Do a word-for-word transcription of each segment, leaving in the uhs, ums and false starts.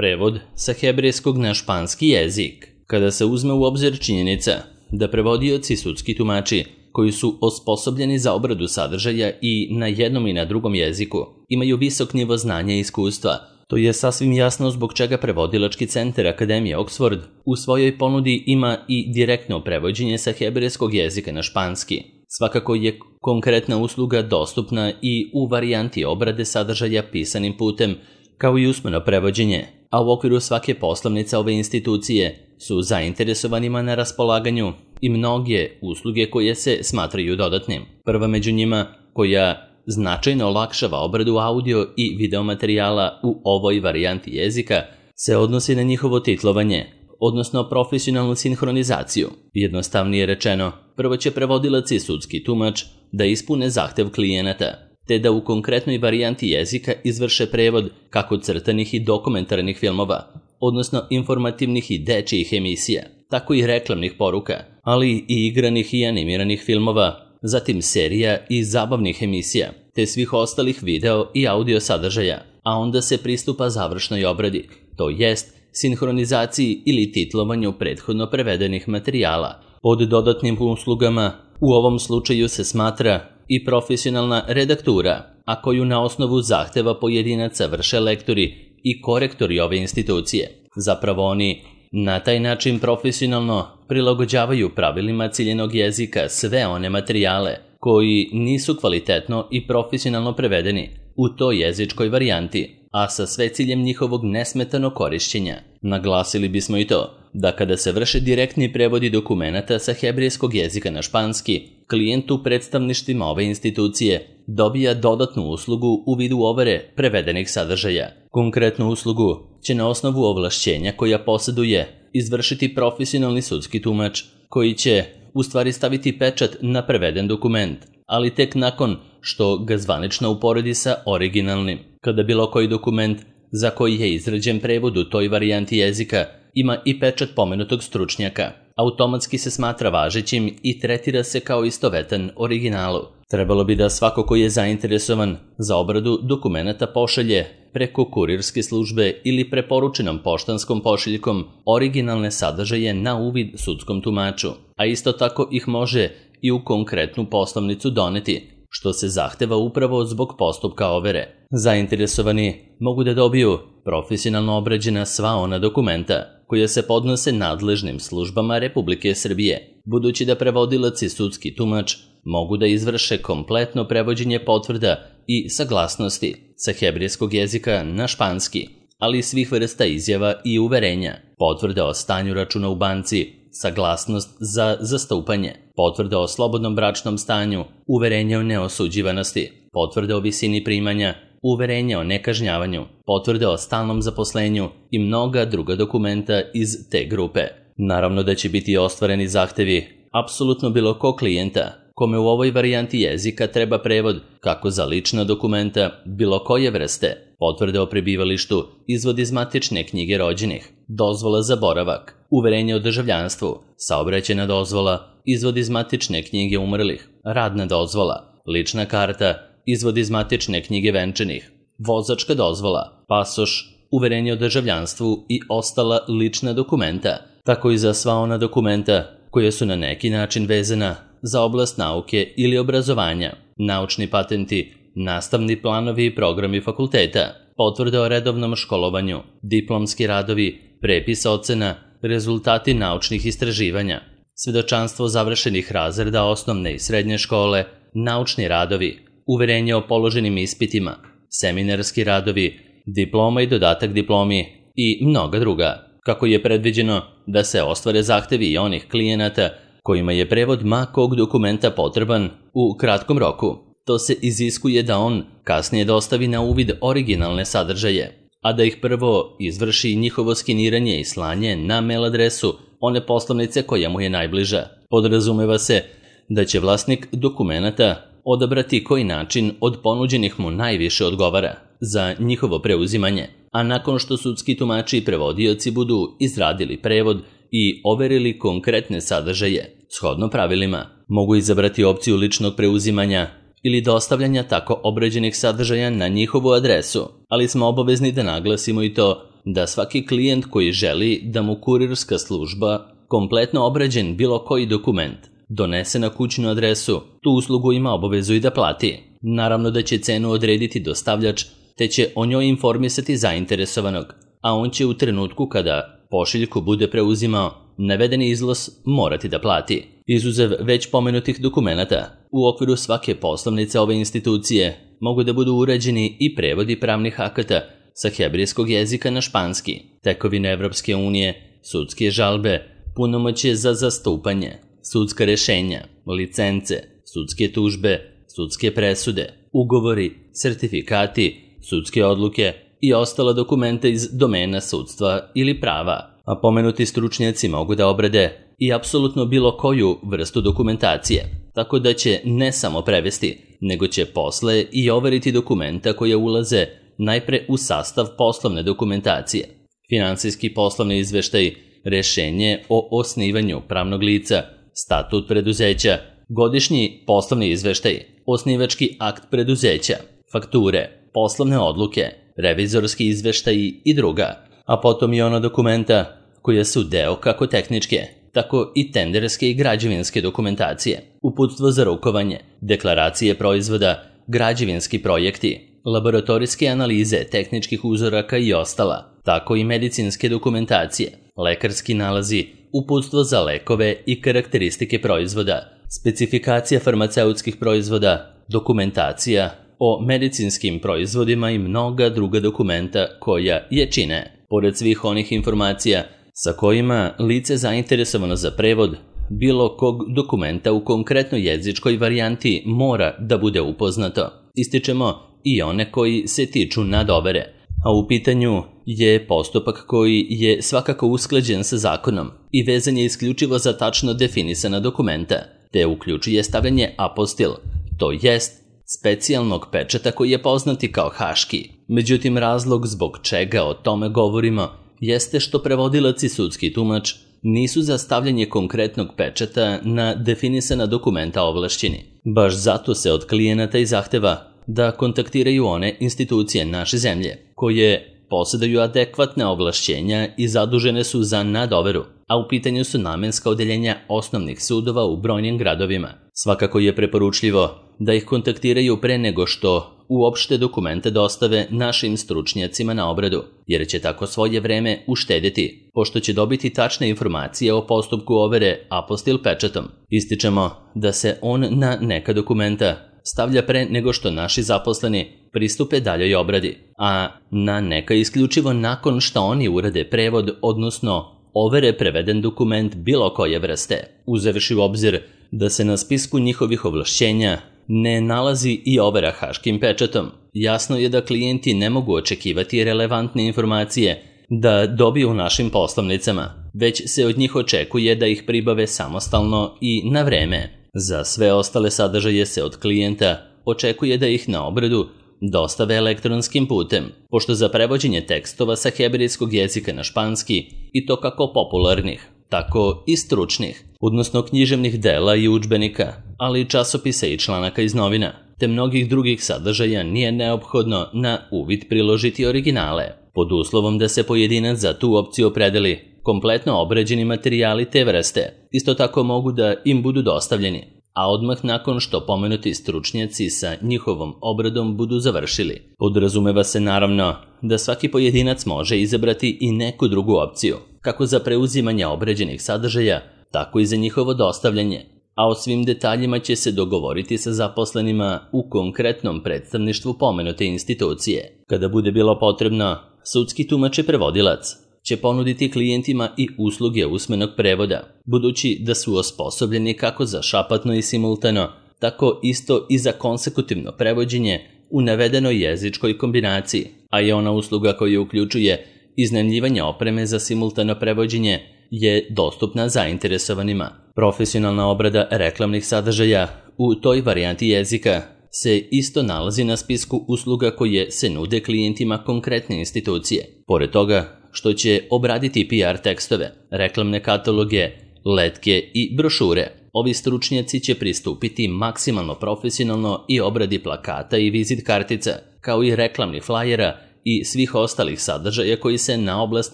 Prevod sa hebrejskog na španski jezik. Kada se uzme u obzir činjenica da prevodioci sudski tumači koji su osposobljeni za obradu sadržaja i na jednom i na drugom jeziku imaju visok nivo znanja i iskustva, to je sasvim jasno zbog čega Prevodilački centar Akademije Oxford u svojoj ponudi ima i direktno prevođenje sa hebrejskog jezika na španski. Svakako je konkretna usluga dostupna i u varijanti obrade sadržaja pisanim putem, kao i usmeno prevođenje, a u okviru svake poslovnice ove institucije su zainteresovanima na raspolaganju i mnoge usluge koje se smatraju dodatnim. Prva među njima, koja značajno olakšava obradu audio i video materijala u ovoj varijanti jezika, se odnosi na njihovo titlovanje, odnosno profesionalnu sinhronizaciju. Jednostavnije rečeno, prvo će prevodilac i sudski tumač da ispune zahtev klijenata, te da u konkretnoj varijanti jezika izvrše prevod kako crtanih i dokumentarnih filmova, odnosno informativnih i dečijih emisija, tako i reklamnih poruka, ali i igranih i animiranih filmova, zatim serija i zabavnih emisija, te svih ostalih video i audio sadržaja, a onda se pristupa završnoj obradi, to jest sinhronizaciji ili titlovanju prethodno prevedenih materijala. Pod dodatnim uslugama u ovom slučaju se smatra i profesionalna redaktura, a koju na osnovu zahteva pojedinaca vrše lektori i korektori ove institucije. Zapravo oni na taj način profesionalno prilagođavaju pravilima ciljenog jezika sve one materijale koji nisu kvalitetno i profesionalno prevedeni u toj jezičkoj varijanti, a sa sve ciljem njihovog nesmetanog korišćenja. Naglasili bismo i to da kada se vrše direktni prevodi dokumenata sa hebrejskog jezika na španski, klijent u predstavništvima ove institucije dobija dodatnu uslugu u vidu overe prevedenih sadržaja. Konkretnu uslugu će na osnovu ovlašćenja koja posjeduje izvršiti profesionalni sudski tumač, koji će u stvari staviti pečat na preveden dokument, ali tek nakon što ga zvanično uporedi sa originalnim. Kada bilo koji dokument za koji je izrađen prevod u toj varijanti jezika ima i pečat pomenutog stručnjaka, automatski se smatra važećim i tretira se kao istovetan originalu. Trebalo bi da svako ko je zainteresovan za obradu dokumenata pošalje preko kurirske službe ili preporučenom poštanskom pošiljkom originalne sadržaje na uvid sudskom tumaču, a isto tako ih može i u konkretnu poslovnicu doneti, što se zahteva upravo zbog postupka overe. Zainteresovani mogu da dobiju profesionalno obrađena sva ona dokumenta koja se podnose nadležnim službama Republike Srbije, budući da prevodilac i sudski tumač mogu da izvrše kompletno prevođenje potvrda i saglasnosti sa hebrejskog jezika na španski, ali i svih vrsta izjava i uverenja, potvrda o stanju računa u banci, saglasnost za zastupanje, potvrda o slobodnom bračnom stanju, uverenje o neosuđivanosti, potvrda o visini primanja, uverenje o nekažnjavanju, potvrde o stalnom zaposlenju i mnoga druga dokumenta iz te grupe. Naravno da će biti ostvareni zahtevi apsolutno bilo ko klijenta kome u ovoj varijanti jezika treba prevod kako za lična dokumenta bilo koje vrste, potvrde o prebivalištu, izvod iz matične knjige rođenih, dozvola za boravak, uverenje o državljanstvu, saobraćajna dozvola, izvod iz matične knjige umrlih, radna dozvola, lična karta, izvod iz matične knjige venčanih, vozačka dozvola, pasoš, uverenje o državljanstvu i ostala lična dokumenta, tako i za sva ona dokumenta koje su na neki način vezana za oblast nauke ili obrazovanja, naučni patenti, nastavni planovi i programi fakulteta, potvrde o redovnom školovanju, diplomski radovi, prepis ocena, rezultati naučnih istraživanja, svedočanstvo završenih razreda osnovne i srednje škole, naučni radovi, uverenje o položenim ispitima, seminarski radovi, diploma i dodatak diplomi i mnoga druga, kako je predviđeno da se ostvare zahtevi i onih klijenata kojima je prevod ma kog dokumenta potreban u kratkom roku. To se iziskuje da on kasnije dostavi na uvid originalne sadržaje, a da ih prvo izvrši njihovo skeniranje i slanje na mail adresu one poslovnice koja mu je najbliža. Podrazumeva se da će vlasnik dokumenata odabrati koji način od ponuđenih mu najviše odgovara za njihovo preuzimanje, a nakon što sudski tumači i prevodioci budu izradili prevod i overili konkretne sadržaje, shodno pravilima, mogu izabrati opciju ličnog preuzimanja ili dostavljanja tako obrađenih sadržaja na njihovu adresu, ali smo obavezni da naglasimo i to da svaki klijent koji želi da mu kurirska služba kompletno obrađen bilo koji dokument donese na kućnu adresu, tu uslugu ima obavezu i da plati. Naravno da će cenu odrediti dostavljač, te će o njoj informisati zainteresovanog, a on će u trenutku kada pošiljku bude preuzimao navedeni iznos morati da plati. Izuzev već pomenutih dokumenata, u okviru svake poslovnice ove institucije mogu da budu urađeni i prevodi pravnih akata sa hebrejskog jezika na španski, tekovine Evropske unije, sudske žalbe, punomoćje za zastupanje, sudska rešenja, licence, sudske tužbe, sudske presude, ugovori, sertifikati, sudske odluke i ostala dokumenta iz domena sudstva ili prava, a pomenuti stručnjaci mogu da obrade i apsolutno bilo koju vrstu dokumentacije, tako da će ne samo prevesti, nego će posle i overiti dokumenta koje ulaze najpre u sastav poslovne dokumentacije, finansijski poslovni izveštaj, rešenje o osnivanju pravnog lica, statut preduzeća, godišnji poslovni izveštaj, osnivački akt preduzeća, fakture, poslovne odluke, revizorski izveštaji i druga, a potom i ona dokumenta koja su deo kako tehničke, tako i tenderske i građevinske dokumentacije, uputstvo za rukovanje, deklaracije proizvoda, građevinski projekti, laboratorijske analize tehničkih uzoraka i ostala, tako i medicinske dokumentacije, lekarski nalazi, uputstvo za lekove i karakteristike proizvoda, specifikacija farmaceutskih proizvoda, dokumentacija o medicinskim proizvodima i mnoga druga dokumenta koja je čine. Pored svih onih informacija sa kojima lice zainteresovano za prevod bilo kog dokumenta u konkretnoj jezičkoj varijanti mora da bude upoznato. Ističemo i one koji se tiču nadovere, a u pitanju je postupak koji je svakako usklađen sa zakonom i vezan je isključivo za tačno definisana dokumenta, te uključuje stavljanje apostil, to jest specijalnog pečata koji je poznati kao haški. Međutim, razlog zbog čega o tome govorimo jeste što prevodilac i sudski tumač nisu za stavljanje konkretnog pečata na definisana dokumenta ovlašćeni. Baš zato se od klijenata i zahteva da kontaktiraju one institucije naše zemlje, koje posjeduju adekvatne ovlašćenja i zadužene su za nadoveru, a u pitanju su namenska odeljenja osnovnih sudova u brojnim gradovima. Svakako je preporučljivo da ih kontaktiraju pre nego što uopšte dokumente dostave našim stručnjacima na obradu, jer će tako svoje vreme uštediti, pošto će dobiti tačne informacije o postupku overe apostil pečatom. Ističemo da se on na neka dokumenta stavlja pre nego što naši zaposleni pristupe daljoj obradi, a na neka isključivo nakon što oni urade prevod, odnosno overe preveden dokument bilo koje vrste, uzevši u obzir da se na spisku njihovih ovlašćenja ne nalazi i overa haškim pečatom. Jasno je da klijenti ne mogu očekivati relevantne informacije da dobiju u našim poslovnicama, već se od njih očekuje da ih pribave samostalno i na vreme. Za sve ostale sadržaje se od klijenta očekuje da ih na obradu dostave elektronskim putem, pošto za prevođenje tekstova sa hebrejskog jezika na španski, i to kako popularnih, tako i stručnih, odnosno književnih dela i udžbenika, ali i časopisa i članaka iz novina, te mnogih drugih sadržaja nije neophodno na uvid priložiti originale, pod uslovom da se pojedinac za tu opciju opredeli kompletno obrađeni materijali te vrste. Isto tako mogu da im budu dostavljeni, a odmah nakon što pomenuti stručnjaci sa njihovom obradom budu završili. Podrazumeva se naravno da svaki pojedinac može izabrati i neku drugu opciju, kako za preuzimanje obrađenih sadržaja, tako i za njihovo dostavljanje, a o svim detaljima će se dogovoriti sa zaposlenima u konkretnom predstavništvu pomenute institucije. Kada bude bilo potrebno, sudski tumač i prevodilac će ponuditi klijentima i usluge usmenog prevoda, budući da su osposobljeni kako za šapatno i simultano, tako isto i za konsekutivno prevođenje u navedenoj jezičkoj kombinaciji, a i ona usluga koja uključuje iznajmljivanje opreme za simultano prevođenje je dostupna zainteresovanima. Profesionalna obrada reklamnih sadržaja u toj varijanti jezika se isto nalazi na spisku usluga koje se nude klijentima konkretne institucije. Pored toga što će obraditi P R tekstove, reklamne kataloge, letke i brošure, ovi stručnjaci će pristupiti maksimalno profesionalno i obradi plakata i vizit kartica, kao i reklamnih flajera i svih ostalih sadržaja koji se na oblast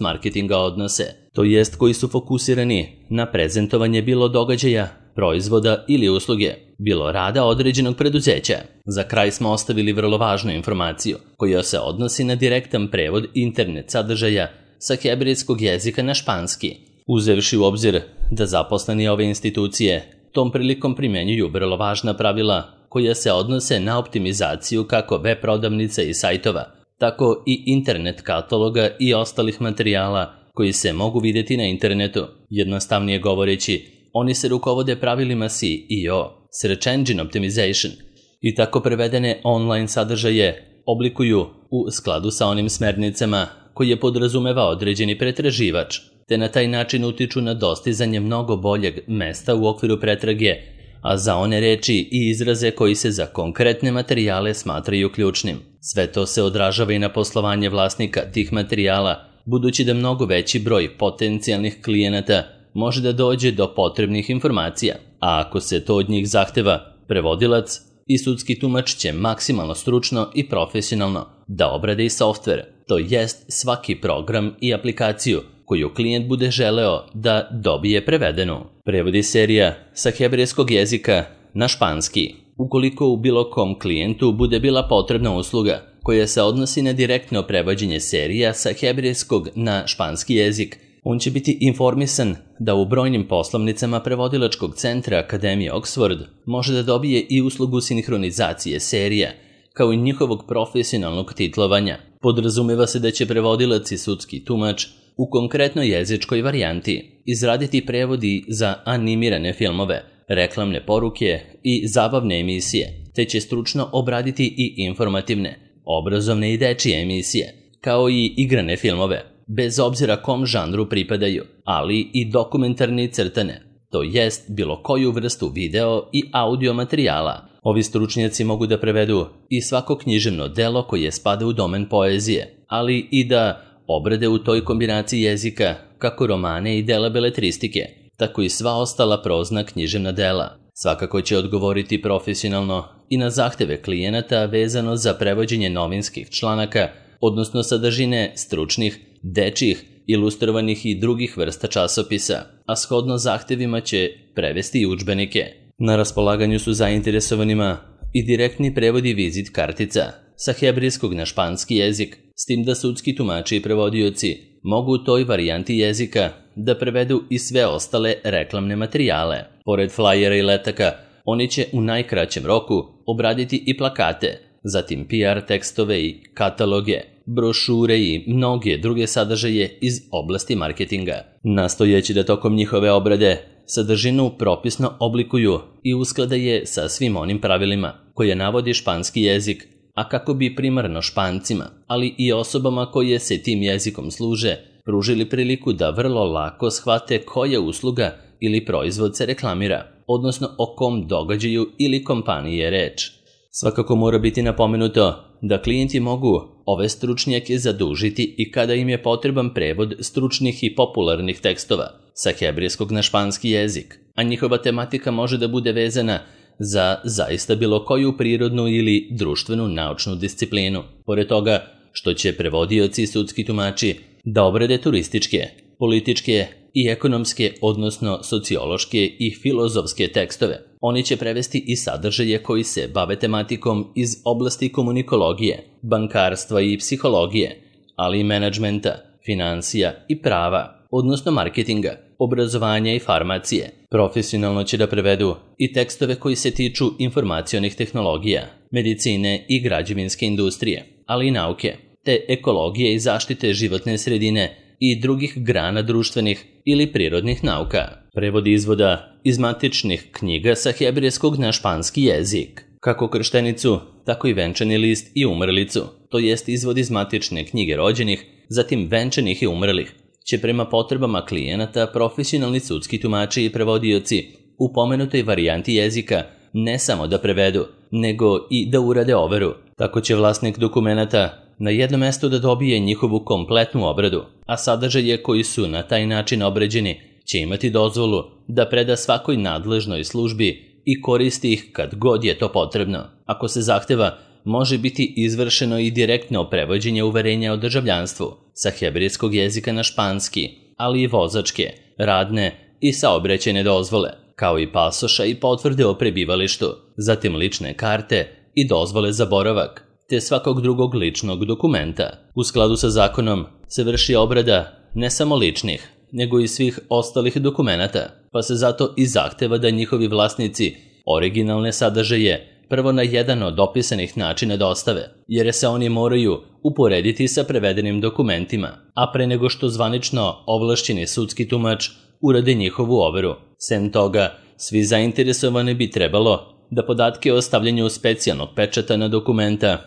marketinga odnose, to jest koji su fokusirani na prezentovanje bilo događaja, proizvoda ili usluge, bilo rada određenog preduzeća. Za kraj smo ostavili vrlo važnu informaciju koja se odnosi na direktan prevod internet sadržaja sa hebrejskog jezika na španski, uzevši u obzir da zaposleni ove institucije tom prilikom primenjuju vrlo važna pravila koja se odnose na optimizaciju kako web prodavnica i sajtova, tako i internet kataloga i ostalih materijala koji se mogu vidjeti na internetu. Jednostavnije govoreći, oni se rukovode pravilima S E O, Search Engine Optimization, i tako prevedene online sadržaje oblikuju u skladu sa onim smernicama koje podrazumeva određeni pretraživač, te na taj način utiču na dostizanje mnogo boljeg mesta u okviru pretrage, a za one reči i izraze koji se za konkretne materijale smatraju ključnim. Sve to se odražava i na poslovanje vlasnika tih materijala, budući da mnogo veći broj potencijalnih klijenata može da dođe do potrebnih informacija, a ako se to od njih zahteva, prevodilac i sudski tumač će maksimalno stručno i profesionalno da obrade i softver, to jest svaki program i aplikaciju koju klijent bude želeo da dobije prevedenu. Prevodi serija sa hebrejskog jezika na španski. Ukoliko u bilo kom klijentu bude bila potrebna usluga koja se odnosi na direktno prevođenje serija sa hebrejskog na španski jezik, on će biti informisan da u brojnim poslovnicama prevodilačkog centra Akademije Oxford može da dobije i uslugu sinhronizacije serija, kao i njihovog profesionalnog titlovanja. Podrazumeva se da će prevodilac i sudski tumač u konkretnoj jezičkoj varijanti izraditi prevodi za animirane filmove, reklamne poruke i zabavne emisije, te će stručno obraditi i informativne, obrazovne i dečije emisije, kao i igrane filmove, bez obzira kom žanru pripadaju, ali i dokumentarne i crtane, to jest bilo koju vrstu video i audio materijala. Ovi stručnjaci mogu da prevedu i svako književno delo koje spada u domen poezije, ali i da obrade u toj kombinaciji jezika kako romane i dela beletristike, tako i sva ostala prozna književna dela. Svakako će odgovoriti profesionalno i na zahteve klijenata vezano za prevođenje novinskih članaka, odnosno sadržine stručnih, dečjih, ilustrovanih i drugih vrsta časopisa, a shodno zahtevima će prevesti i udžbenike. Na raspolaganju su zainteresovanima i direktni prevodi vizit kartica sa hebrejskog na španski jezik, s tim da sudski tumači i prevodioci mogu u toj varijanti jezika da prevedu i sve ostale reklamne materijale. Pored flyera i letaka, oni će u najkraćem roku obraditi i plakate, zatim P R tekstove i kataloge, brošure i mnoge druge sadržaje iz oblasti marketinga, nastojeći da tokom njihove obrade sadržinu propisno oblikuju i usklade je sa svim onim pravilima koje navodi španski jezik, a kako bi primarno Špancima, ali i osobama koje se tim jezikom služe, pružili priliku da vrlo lako shvate koja usluga ili proizvod se reklamira, odnosno o kom događaju ili kompaniji je reč. Svakako mora biti napomenuto da klijenti mogu ove stručnjake zadužiti i kada im je potreban prevod stručnih i popularnih tekstova sa hebrejskog na španski jezik, a njihova tematika može da bude vezana za zaista bilo koju prirodnu ili društvenu naučnu disciplinu. Pored toga što će prevodioci i sudski tumači da obrade turističke, političke i ekonomske, odnosno sociološke i filozofske tekstove, oni će prevesti i sadržaje koji se bave tematikom iz oblasti komunikologije, bankarstva i psihologije, ali i menadžmenta, financija i prava, odnosno marketinga, obrazovanja i farmacije. Profesionalno će da prevedu i tekstove koji se tiču informacionih tehnologija, medicine i građevinske industrije, ali i nauke, te ekologije i zaštite životne sredine i drugih grana društvenih ili prirodnih nauka. Prevod izvoda iz matičnih knjiga sa hebrejskog na španski jezik, kako krštenicu, tako i venčani list i umrlicu, to jest izvod iz matične knjige rođenih, zatim venčanih i umrlih, će prema potrebama klijenata profesionalni sudski tumači i prevodioci u pomenutoj varijanti jezika ne samo da prevedu, nego i da urade overu. Tako će vlasnik dokumenata na jednom mestu da dobije njihovu kompletnu obradu, a sadržaje koji su na taj način obrađeni će imati dozvolu da preda svakoj nadležnoj službi i koristi ih kad god je to potrebno. Ako se zahteva, može biti izvršeno i direktno prevođenje uverenja o državljanstvu sa hebrejskog jezika na španski, ali i vozačke, radne i saobraćajne dozvole, kao i pasoša i potvrde o prebivalištu, zatim lične karte i dozvole za boravak, te svakog drugog ličnog dokumenta. U skladu sa zakonom se vrši obrada ne samo ličnih, nego i svih ostalih dokumenata, pa se zato i zahteva da njihovi vlasnici originalne sadržaje prvo na jedan od opisanih načina dostave, jer se oni moraju uporediti sa prevedenim dokumentima, a pre nego što zvanično ovlašćeni sudski tumač urade njihovu overu. Sem toga, svi zainteresovani bi trebalo da podatke o stavljanju specijalnog pečata na dokumenta,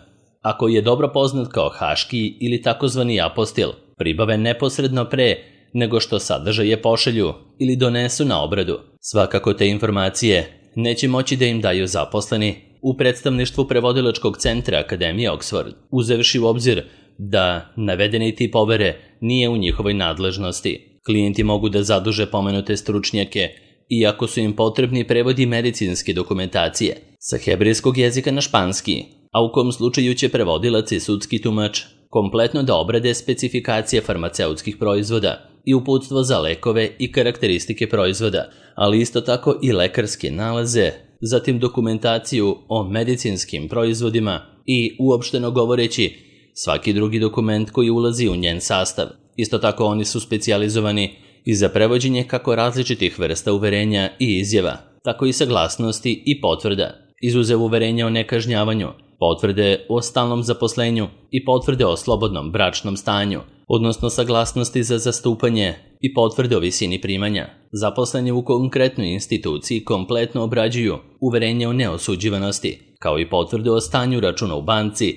ako je dobro poznat kao haški ili takozvani apostil, pribave neposredno pre nego što sadržaje pošalju ili donesu na obradu. Svakako te informacije neće moći da im daju zaposleni u predstavništvu prevodilačkog centra Akademije Oxford, uzevši u obzir da navedeni tip overe nije u njihovoj nadležnosti. Klijenti mogu da zaduže pomenute stručnjake iako su im potrebni prevodi medicinske dokumentacije sa hebrejskog jezika na španski, a u kom slučaju će prevodilac i sudski tumač kompletno da obrade specifikacije farmaceutskih proizvoda i uputstvo za lekove i karakteristike proizvoda, ali isto tako i lekarske nalaze, zatim dokumentaciju o medicinskim proizvodima i, uopšteno govoreći, svaki drugi dokument koji ulazi u njen sastav. Isto tako oni su specijalizovani i za prevođenje kako različitih vrsta uverenja i izjava, tako i saglasnosti i potvrda, izuzev uverenja o nekažnjavanju, potvrde o stalnom zaposlenju i potvrde o slobodnom bračnom stanju, odnosno saglasnosti za zastupanje i potvrde o visini primanja. Zaposleni u konkretnoj instituciji kompletno obrađuju uverenje o neosuđivanosti, kao i potvrde o stanju računa u banci,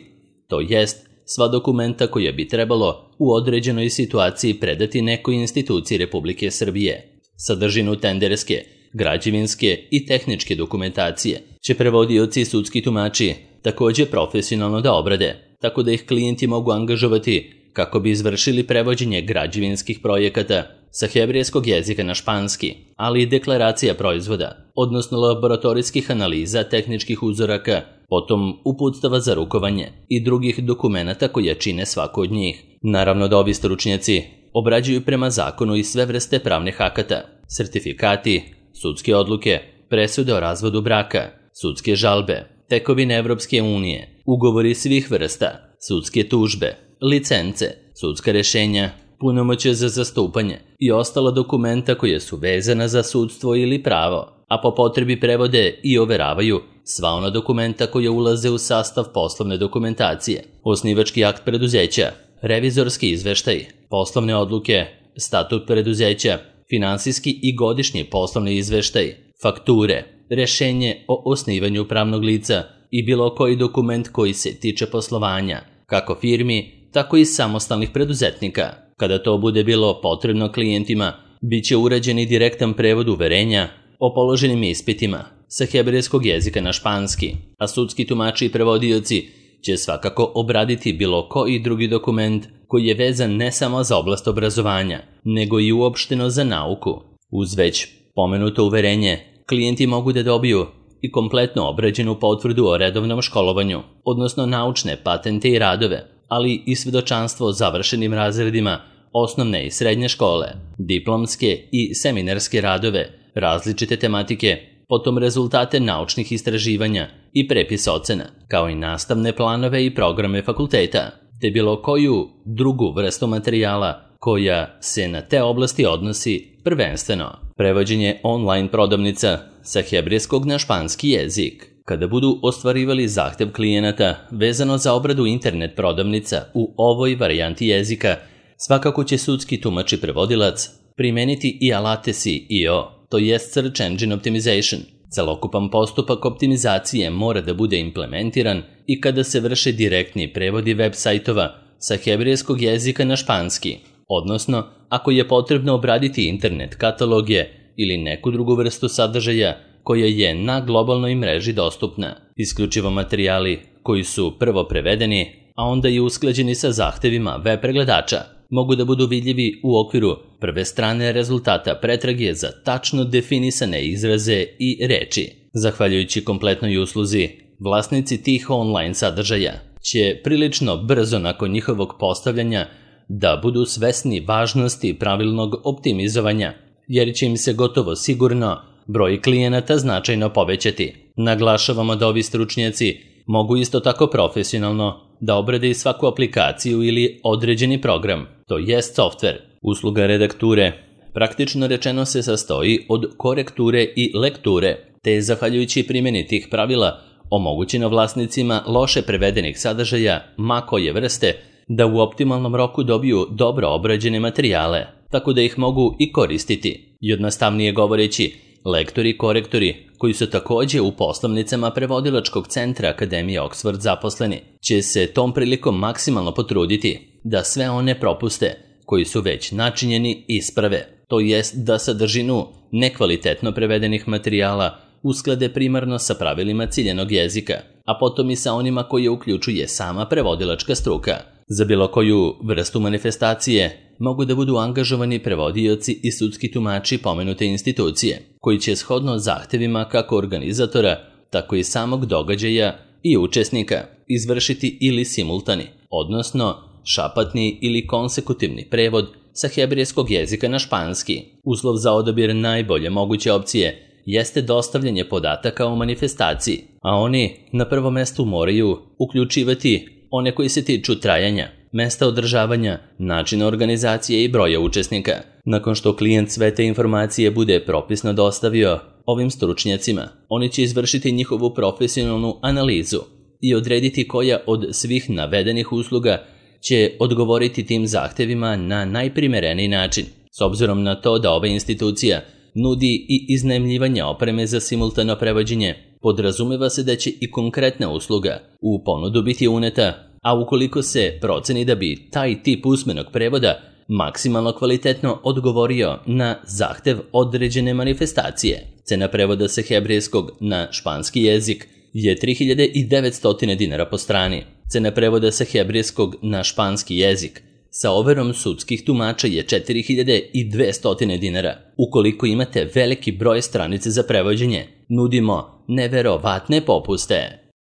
to jest sva dokumenta koja bi trebalo u određenoj situaciji predati nekoj instituciji Republike Srbije. Sadržinu tenderske, građevinske i tehničke dokumentacije će prevodioci i sudski tumači također profesionalno da obrade, tako da ih klijenti mogu angažovati kako bi izvršili prevođenje građevinskih projekata sa hebrejskog jezika na španski, ali i deklaracija proizvoda, odnosno laboratorijskih analiza tehničkih uzoraka, potom uputstava za rukovanje i drugih dokumenata koje čine svako od njih. Naravno da ovi stručnjaci obrađuju prema zakonu i sve vrste pravnih akata, sertifikati, sudske odluke, presude o razvodu braka, sudske žalbe, tekovine Evropske unije, ugovori svih vrsta, sudske tužbe, licence, sudska rešenja, punomoćje za zastupanje i ostala dokumenta koje su vezana za sudstvo ili pravo, a po potrebi prevode i overavaju sva ona dokumenta koja ulaze u sastav poslovne dokumentacije, osnivački akt preduzeća, revizorski izveštaj, poslovne odluke, statut preduzeća, finansijski i godišnji poslovni izveštaj, fakture, rešenje o osnivanju pravnog lica i bilo koji dokument koji se tiče poslovanja, kako firmi, tako i samostalnih preduzetnika. Kada to bude bilo potrebno klijentima, bit će urađen i direktan prevod uverenja o položenim ispitima sa hebrejskog jezika na španski, a sudski tumači i prevodioci će svakako obraditi bilo koji drugi dokument koji je vezan ne samo za oblast obrazovanja, nego i uopšteno za nauku. Uz već pomenuto uverenje, klijenti mogu da dobiju i kompletno obrađenu potvrdu o redovnom školovanju, odnosno naučne patente i radove, ali i svedočanstvo o završenim razredima osnovne i srednje škole, diplomske i seminarske radove, različite tematike, potom rezultate naučnih istraživanja i prepis ocena, kao i nastavne planove i programe fakulteta, te bilo koju drugu vrstu materijala koja se na te oblasti odnosi prvenstveno. Prevođenje online prodavnica sa hebrejskog na španski jezik. Kada budu ostvarivali zahtev klijenata vezano za obradu internet prodavnica u ovoj varijanti jezika, svakako će sudski tumač i prevodilac primeniti i alate S E O, to jest Search Engine Optimization. Celokupan postupak optimizacije mora da bude implementiran i kada se vrše direktni prevodi web sajtova sa hebrejskog jezika na španski, odnosno ako je potrebno obraditi internet kataloge ili neku drugu vrstu sadržaja koja je na globalnoj mreži dostupna. Isključivo materijali koji su prvo prevedeni, a onda i usklađeni sa zahtevima web pregledača, mogu da budu vidljivi u okviru prve strane rezultata pretrage za tačno definisane izraze i reči. Zahvaljujući kompletnoj usluzi vlasnici tih online sadržaja će prilično brzo nakon njihovog postavljanja da budu svesni važnosti pravilnog optimizovanja, jer će im se gotovo sigurno broj klijenata značajno povećati. Naglašavamo da ovi stručnjaci mogu isto tako profesionalno da obrade i svaku aplikaciju ili određeni program, to jest softver. Usluga redakture praktično rečeno se sastoji od korekture i lekture, te je zahvaljujući primjeni tih pravila omogućeno vlasnicima loše prevedenih sadržaja ma koje vrste da u optimalnom roku dobiju dobro obrađene materijale, tako da ih mogu i koristiti. Jednostavnije govoreći, lektori i korektori, koji su također u poslovnicama prevodilačkog centra Akademije Oxford zaposleni, će se tom prilikom maksimalno potruditi da sve one propuste koji su već načinjeni isprave, to jest da sadržinu nekvalitetno prevedenih materijala usklade primarno sa pravilima ciljenog jezika, a potom i sa onima koje uključuje sama prevodilačka struka. Za bilo koju vrstu manifestacije mogu da budu angažovani prevodioci i sudski tumači pomenute institucije, koji će shodno zahtevima kako organizatora, tako i samog događaja i učesnika izvršiti ili simultani, odnosno šapatni ili konsekutivni prevod sa hebrejskog jezika na španski. Uslov za odabir najbolje moguće opcije jeste dostavljanje podataka o manifestaciji, a oni na prvom mestu moraju uključivati one koji se tiču trajanja, mesta održavanja, načina organizacije i broja učesnika. Nakon što klijent sve te informacije bude propisno dostavio ovim stručnjacima, oni će izvršiti njihovu profesionalnu analizu i odrediti koja od svih navedenih usluga će odgovoriti tim zahtevima na najprimereniji način. S obzirom na to da ova institucija nudi i iznajmljivanje opreme za simultano prevođenje, podrazumeva se da će i konkretna usluga u ponudu biti uneta, a ukoliko se proceni da bi taj tip usmenog prevoda maksimalno kvalitetno odgovorio na zahtev određene manifestacije. Cena prevoda sa hebrejskog na španski jezik je tri hiljade devetsto dinara po strani. Cena prevoda sa hebrejskog na španski jezik sa overom sudskih tumača je četiri hiljade dvesta dinara. Ukoliko imate veliki broj stranice za prevođenje, nudimo neverovatne popuste.